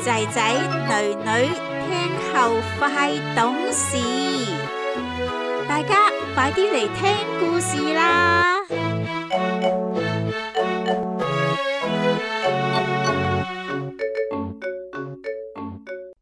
仔仔女女聽後快懂事，大家快啲嚟聽故事啦！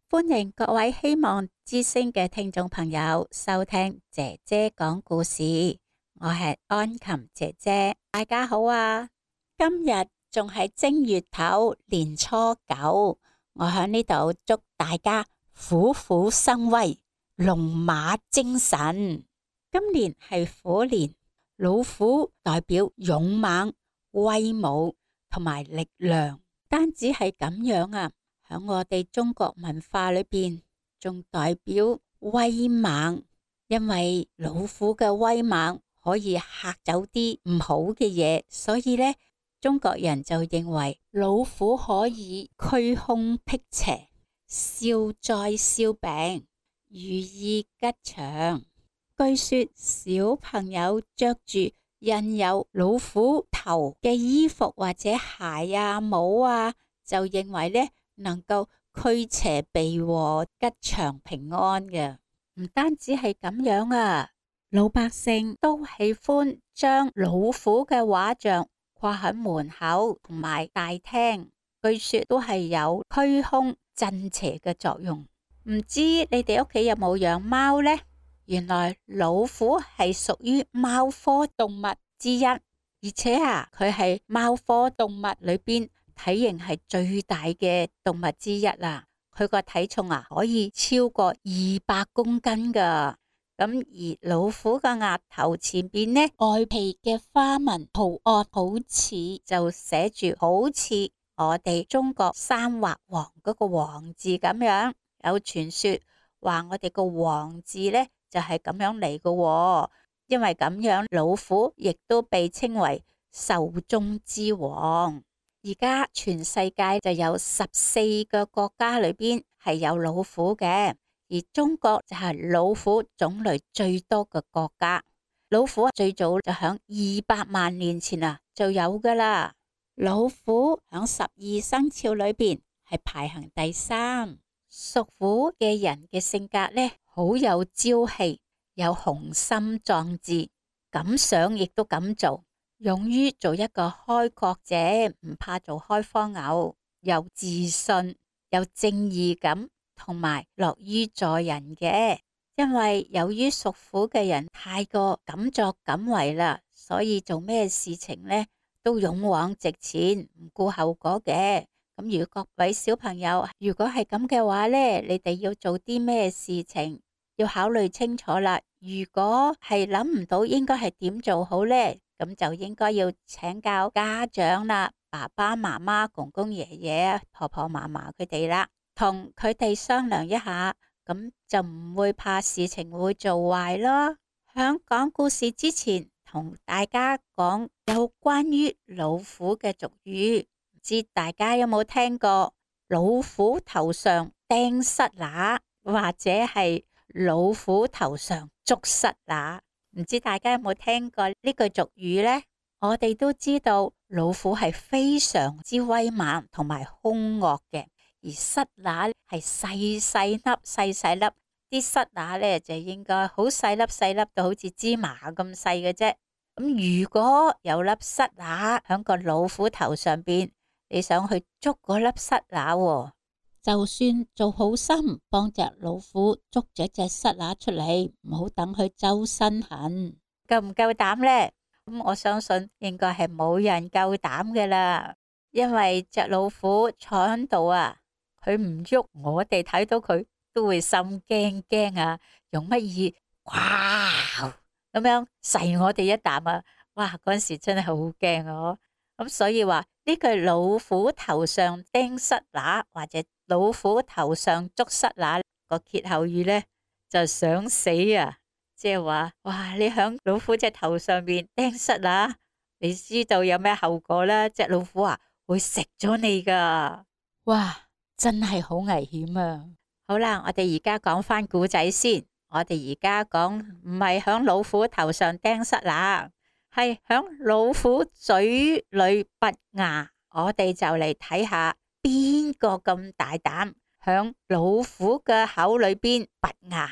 歡迎各位希望之聲嘅聽眾朋友收聽姐姐講故事，我係安琴姐姐，大家好啊！今日仲係正月頭年初9，我喺呢度祝大家虎虎生威，龍馬精神。今年係虎年，老虎代表勇猛、威武同埋力量。單止係咁樣啊，喺我哋中國文化裏邊，仲代表威猛，因為老虎嘅威猛可以嚇走啲唔好嘅嘢，所以呢，中國人就認為老虎可以驅凶辟邪、消災消病、如意吉祥。據說小朋友着住印有老虎頭嘅衣服或者鞋啊、帽啊，就認為呢能夠驅邪避禍、吉祥平安嘅。唔單止係咁樣啊，老百姓都喜歡將老虎嘅畫像掛喺門口同埋大廳，據說都係有驅凶鎮邪嘅作用。唔知你哋屋企有冇養貓呢？原來老虎係屬於貓科動物之一，而且佢係貓科動物裏邊體型係最大嘅動物之一啦。佢個體重可以超過200公斤噶。咁而老虎嘅額頭前邊呢，外皮嘅花紋圖案好似就寫住好似我哋中國三畫王嗰個王字咁樣。有傳說話我哋個王字呢就係咁樣嚟嘅，因為咁樣老虎亦都被稱為獸中之王。而家全世界就有14個國家裏邊係有老虎嘅，而中國就係老虎種類最多嘅國家。老虎最早就響200萬年前就有噶啦。老虎響12生肖裏邊係排行第3。屬虎嘅人嘅性格呢，好有朝氣，有雄心壯志，敢想亦都敢做，勇於做一個開國者，唔怕做開荒牛，有自信，有正義感，同埋樂於助人嘅。因為由於屬虎嘅人太過敢作敢為啦，所以做咩事情呢都勇往直前，唔顧後果嘅。咁如果各位小朋友，如果係咁嘅話呢，你哋要做啲咩事情，要考慮清楚啦。如果係諗唔到應該係點做好呢，咁就應該要請教家長啦，爸爸媽媽、公公爺爺、婆婆嫲嫲佢哋啦，同佢哋商量一下，咁就唔會怕事情會做壞咯。響講故事之前，同大家講有關於老虎嘅俗語。唔知大家有冇聽過老虎頭上釘虱乸，或者係老虎頭上捉虱乸？唔知大家有冇聽過呢句俗語呢？我哋都知道老虎係非常之威猛同埋兇惡嘅，而虱乸係細粒，啲虱乸呢就應該好細粒到好似芝麻咁細嘅啫。咁如果有粒虱乸響個老虎頭上邊，你想去捉嗰粒虱乸，就算做好心幫隻老虎捉咗隻虱乸出嚟，唔好等佢周身痕。夠唔夠膽呢？咁我相信應該係冇人夠膽嘅啦，因為隻老虎坐喺度佢唔喐，我哋睇到佢都會心驚用乜嘢哇咁樣噬我哋一啖哇！嗰時真係好驚咁所以話呢句老虎頭上釘虱乸或者老虎頭上捉虱乸個歇後語呢，就想死即係話哇，你響老虎隻頭上面釘虱乸，你知道有咩後果啦？隻老虎會食咗你噶，哇，真係好危險好啦，我哋而家講翻故仔先。我哋而家講唔係響老虎頭上釘虱乸，係響老虎嘴裏拔牙。我哋就嚟睇下邊個咁大膽響老虎嘅口裏邊拔牙。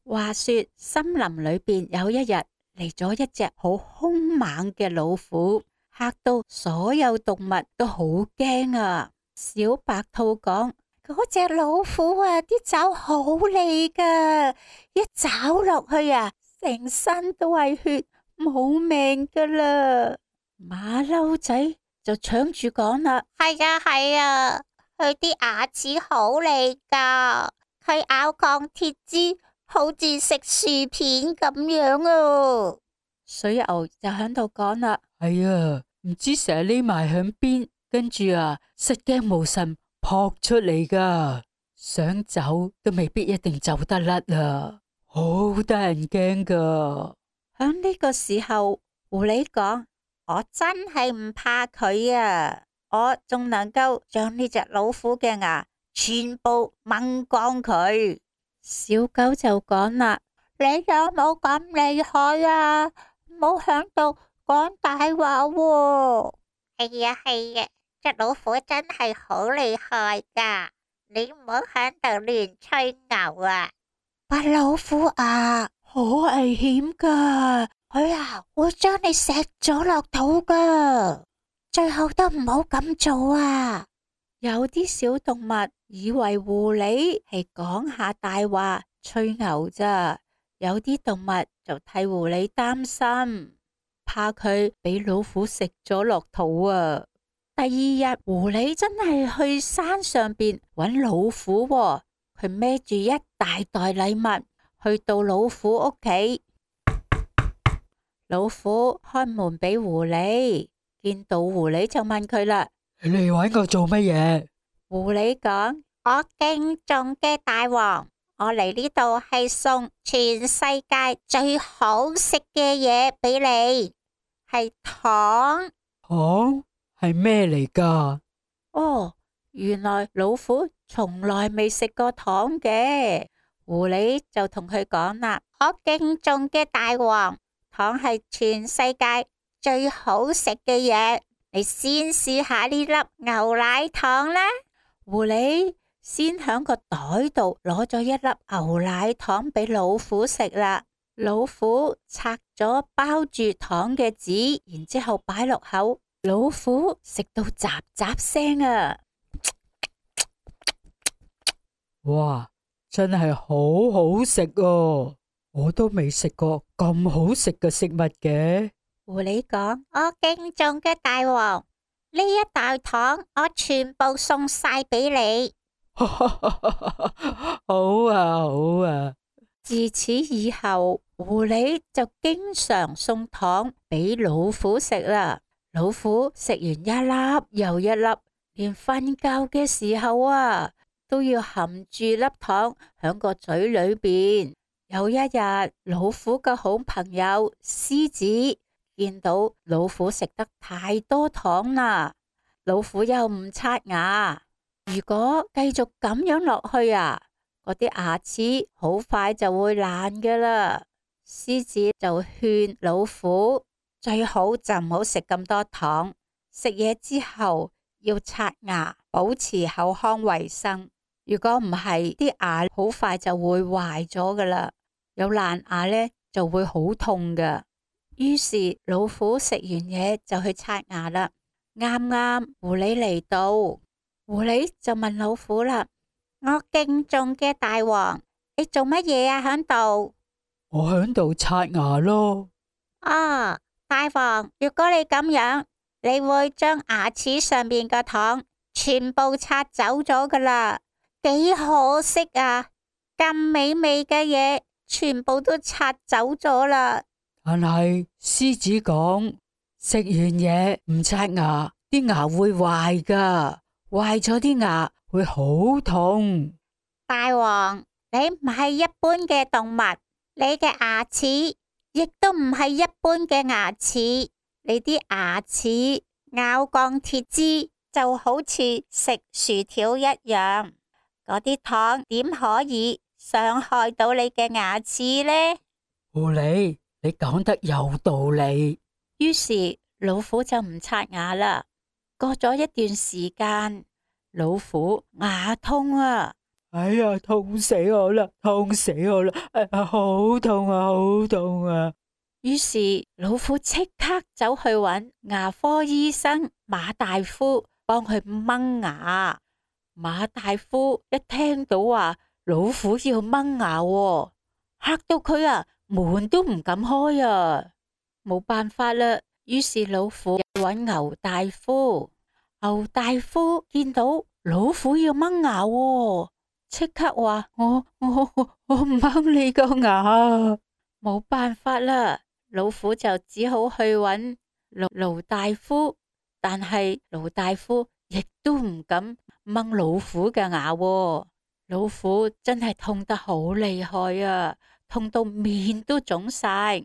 話說森林裏邊有一日嚟咗一隻好兇猛嘅老虎，嚇到所有動物都好驚啊！小白兔講：嗰隻老虎啊，啲爪好利噶，一爪落去啊，成身都係血，冇命噶啦。馬騮仔就搶住講啦：係啊係啊，佢啲牙齒好利噶，佢咬鋼鐵枝，好似食薯片咁樣啊。水牛就喺度講啦：係啊，唔知成日匿埋響邊，跟住啊失驚無神撲出嚟噶，想走都未必一定走得甩啊，好得人驚噶。響呢個時候，狐狸講：我真係唔怕佢啊，我仲能夠將呢隻老虎嘅牙全部掹光佢。小狗就講啦：你有冇咁厲害啊？唔好響度講大話喎。係啊係啊，隻老虎真係好厲害噶，你唔好響度亂吹牛啊！白老虎啊，好危險噶，佢啊會將你食咗落肚噶，最好都唔好咁做啊！有啲小動物以為狐狸係講下大話吹牛咋，有啲動物就替狐狸擔心，怕佢俾老虎食咗落肚啊！第二日，狐狸真係去山上邊搵老虎喎，佢孭住一大袋禮物去到老虎屋企。老虎開門俾狐狸，見到狐狸就問佢啦：你嚟搵我做乜嘢？狐狸講：我敬重嘅大王，我嚟呢度係送全世界最好食嘅嘢俾你，係糖。糖？係咩嚟噶？哦，原來老虎從來未食過糖嘅。狐狸就同佢講啦：我敬重嘅大王，糖係全世界最好食嘅嘢，你先試下呢粒牛奶糖啦。狐狸先響個袋度攞咗一粒牛奶糖俾老虎食啦。老虎拆咗包住糖嘅紙，然之後擺落口。老虎食到喳喳聲啊！哇，真係好好食哦！我都未食過咁好食嘅食物嘅。狐狸講：我敬重嘅大王，呢一袋糖我全部送晒俾你。好啊，好啊！自此以後，狐狸就經常送糖俾老虎食啦。老虎食完一粒又一粒，連瞓覺嘅時候啊，都要含住粒糖響個嘴裏邊。有一日，老虎嘅好朋友獅子見到老虎食得太多糖啦，老虎又唔刷牙，如果繼續咁樣落去啊，嗰啲牙齒好快就會爛噶啦。獅子就勸老虎，最好就唔好食咁多糖，食嘢之後要刷牙，保持口腔衛生。如果唔係，啲牙好快就會壞咗噶啦，有爛牙呢就會好痛噶。於是老虎食完嘢就去刷牙啦。啱啱狐狸嚟到，狐狸就問老虎啦：我敬重嘅大王，你做乜嘢啊？響度？我響度刷牙咯。啊！大王，如果你咁樣，你會將牙齒上面嘅糖全部刷走咗噶啦，幾可惜啊！咁美味嘅嘢，全部都刷走咗啦。但係獅子講，食完嘢唔刷牙，啲牙會壞噶，壞咗啲牙會好痛。大王，你唔係一般嘅動物，你嘅牙齒亦都唔係一般嘅牙齒，你啲牙齒咬鋼鐵枝就好似食薯條一樣，嗰啲糖點可以傷害到你嘅牙齒呢？狐狸，你講得有道理。於是老虎就唔刷牙啦。過咗一段時間，老虎牙痛啊！哎呀，痛死我啦，痛死我啦！哎呀，好痛啊，好痛啊！於是老虎即刻走去揾牙科醫生馬大夫幫佢掹牙。馬大夫一聽到話老虎要掹牙喎，嚇到佢啊，門都唔敢開啊！冇辦法啦，於是老虎揾牛大夫。牛大夫見到老虎要掹牙喎，即刻話我唔掹你個牙。冇辦法啦，老虎就只好去揾盧大夫，但係盧大夫亦都唔敢掹老虎嘅牙喎。老虎真係痛得好厲害啊，痛到面都腫晒。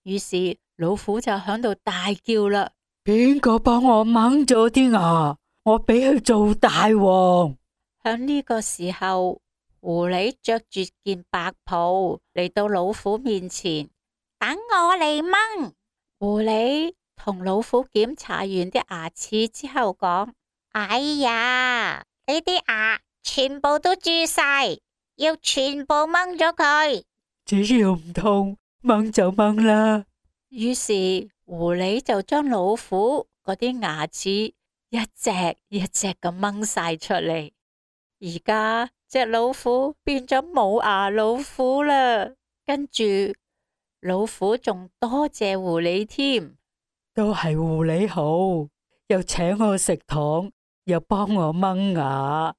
於是老虎就響度大叫啦：邊個幫我掹咗啲牙？我俾佢做大王。響呢個時候，狐狸着住件白袍嚟到老虎面前，等我嚟掹。狐狸同老虎檢查完啲牙齒之後講：哎呀，你啲牙全部都蛀晒，要全部掹咗佢。只要唔痛，掹就掹啦。於是狐狸就將老虎嗰啲牙齒一隻一隻咁掹晒出嚟。而家隻老虎變咗冇牙老虎啦。跟住老虎仲多謝狐狸添，都係狐狸好，又請我食糖，又幫我掹牙。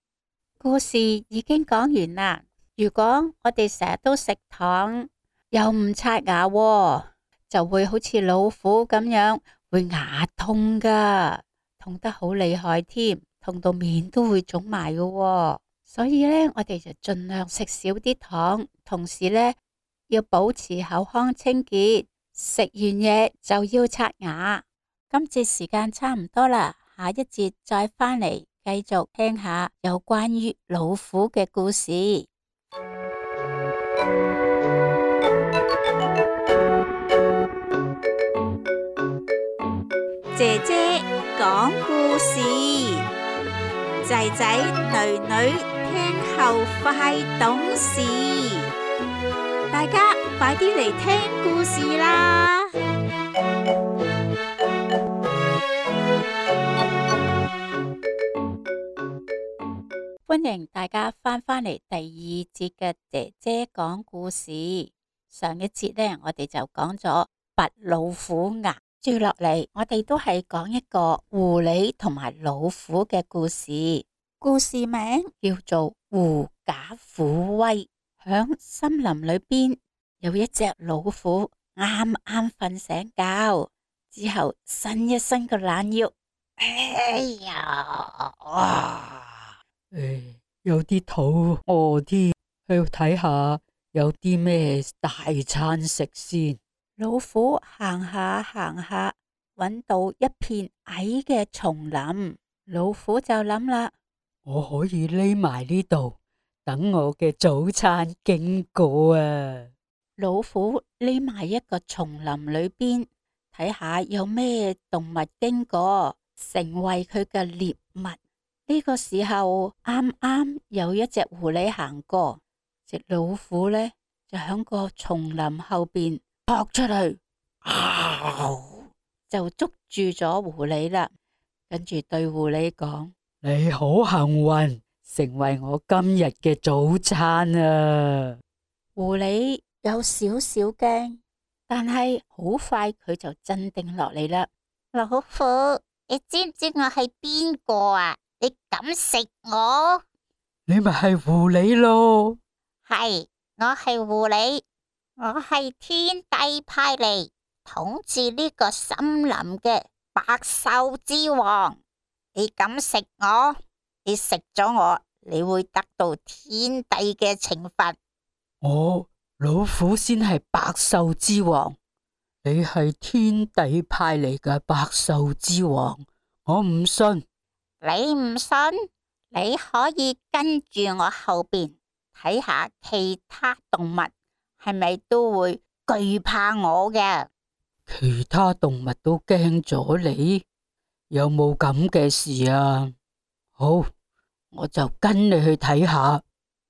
故事已經講完啦。如果我哋成日都食糖，又唔刷牙喎，就會好似老虎咁樣，會牙痛噶，痛得好厲害添，痛到面都會腫埋噶喎。所以呢，我哋就盡量食少啲糖，同時呢，要保持口腔清潔，食完嘢就要刷牙。今節時間差唔多啦，下一節再返嚟繼續聽下有關於老虎嘅故事。姐姐講故事，仔仔女女聽後快懂事，大家快啲嚟聽故事啦！歡迎大家返嚟第二節嘅姐姐講故事。上一節呢，我哋就講咗拔老虎牙。接落嚟，我哋都係講一個狐狸同埋老虎嘅故事。故事名叫做《狐假虎威》。響森林裏邊有一隻老虎，啱啱瞓醒覺之後，伸一伸個懶腰，哎呀，有啲肚餓添，去睇下有啲咩大餐食先。老虎行下行下，搵到一片矮嘅叢林。老虎就諗啦，我可以匿埋呢度，等我嘅早餐經過啊！老虎匿埋一個叢林裏邊，睇下有咩動物經過，成為佢嘅獵物。呢個時候啱啱有一隻狐狸行過，隻老虎呢就響個叢林後邊撲出去，就捉住咗狐狸啦。跟住對狐狸講：你好幸運，成為我今日嘅早餐啊！狐狸有少少驚，但係好快佢就鎮定落嚟啦。老虎，你知唔知我係邊個啊？你敢食我？你咪係狐狸咯？係，我係狐狸，我係天帝派嚟統治呢個森林嘅百獸之王。你敢食我？你食咗我，你會得到天帝嘅懲罰。我老虎先係百獸之王，你係天帝派嚟嘅百獸之王，我唔信。你唔信？你可以跟住我後邊睇下其他動物係咪都會懼怕我嘅。其他動物都驚咗你，有冇咁嘅事啊？好，我就跟你去睇下。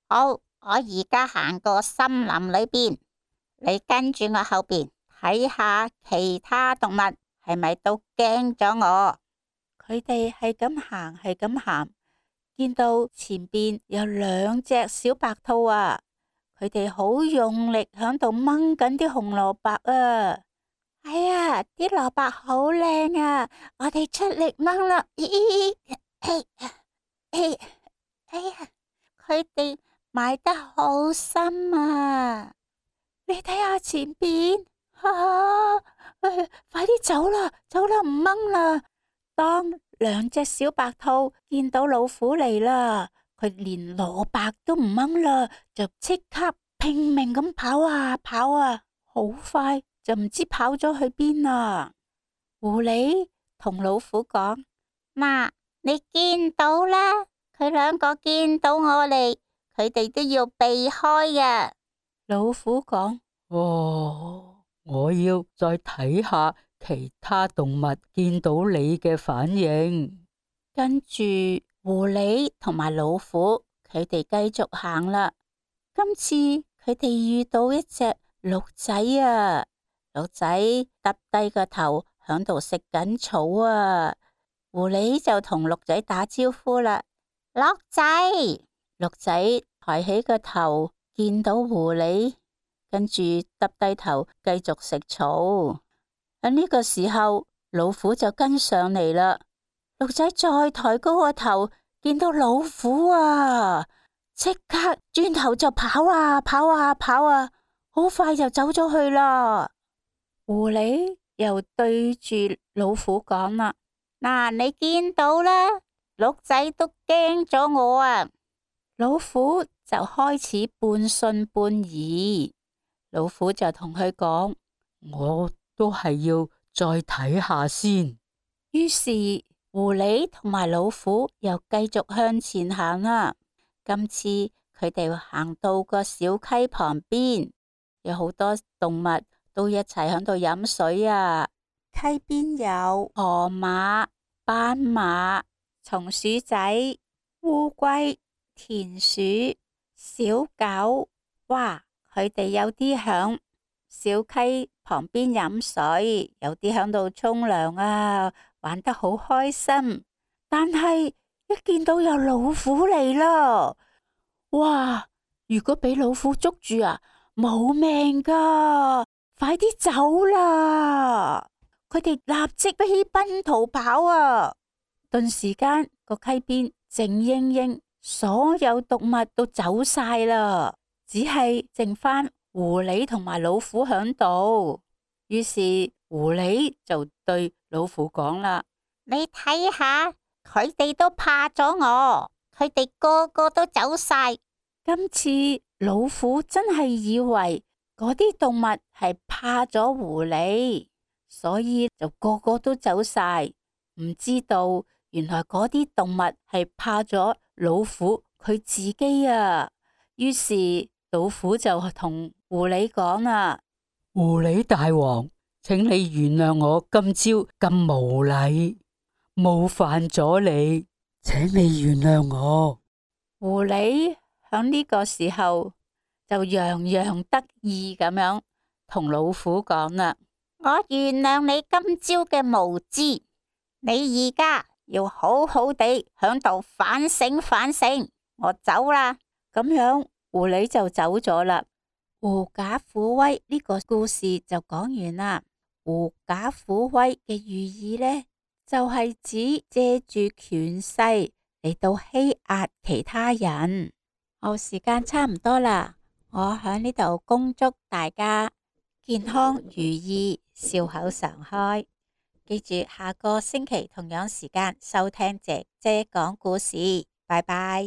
好，我而家行過森林裏邊，你跟住我後邊睇下其他動物係咪都驚咗我。佢哋係咁行，係咁行，見到前邊有兩隻小白兔啊，佢哋好用力響度掹緊啲紅蘿蔔啊！哎呀，啲蘿蔔好靚啊！我哋出力掹啦！咦，哎呀，佢哋埋得好深啊！你睇下前邊，快啲走啦，走啦，唔掹啦！當兩隻小白兔見到老虎嚟啦，佢連蘿蔔都唔掹啦，就即刻拼命咁跑啊跑啊，好快就唔知跑咗去邊啦。狐狸同老虎講：嗱，你見到啦，佢兩個見到我嚟，佢哋都要避開呀。老虎講：哦，我要再睇下其他動物見到你嘅反應。跟住狐狸同埋老虎，佢哋繼續行啦。今次佢哋遇到一隻鹿仔啊，鹿仔耷低個頭響度食緊草啊。狐狸就同鹿仔打招呼啦，鹿仔。鹿仔抬起個頭，見到狐狸，跟住耷低頭繼續食草。喺呢個時候，老虎就跟上嚟啦。鹿仔再抬高個頭，見到老虎啊，即刻轉頭就跑啊跑啊跑啊，好快就走咗去啦。狐狸又對住老虎講啦：嗱，你見到啦，鹿仔都驚咗我啊！老虎就開始半信半疑。老虎就同佢講：我都係要再睇下先。於是狐狸同埋老虎又繼續向前行啦。今次佢哋行到個小溪旁邊，有好多動物都一齊響度飲水啊。溪邊有河馬、斑馬、松鼠仔、烏龜、田鼠、小狗。哇！佢哋有啲響小溪旁邊飲水，有啲響度沖涼啊，玩得好開心。但係一見到有老虎嚟啦，哇！如果俾老虎捉住啊，冇命噶，快啲走啦！佢哋立即飛奔逃跑啊！頓時間個溪邊靜英英，所有動物都走晒啦，只係剩翻狐狸同埋老虎響度。於是狐狸就對老虎講啦：你睇下，佢哋都怕咗我，佢哋個個都走晒。今次老虎真係以為嗰啲動物係怕咗狐狸，所以就個個都走晒，唔知道原來嗰啲動物係怕咗老虎佢自己啊。於是老虎就同狐狸講啦：狐狸大王，請你原諒我今朝咁無禮，冒犯咗你，請你原諒我。狐狸響呢個時候就洋洋得意咁樣同老虎講啦：我原諒你今朝嘅無知，你而家要好好地響度反省反省。我走啦。咁樣狐狸就走咗啦。狐假虎威呢個故事就講完啦。狐假虎威嘅寓意呢，就係指借住權勢嚟到欺壓其他人。好，時間差唔多啦，我喺呢度恭祝大家健康如意，笑口常開。記住下個星期同樣時間收聽姐姐講故事，拜拜。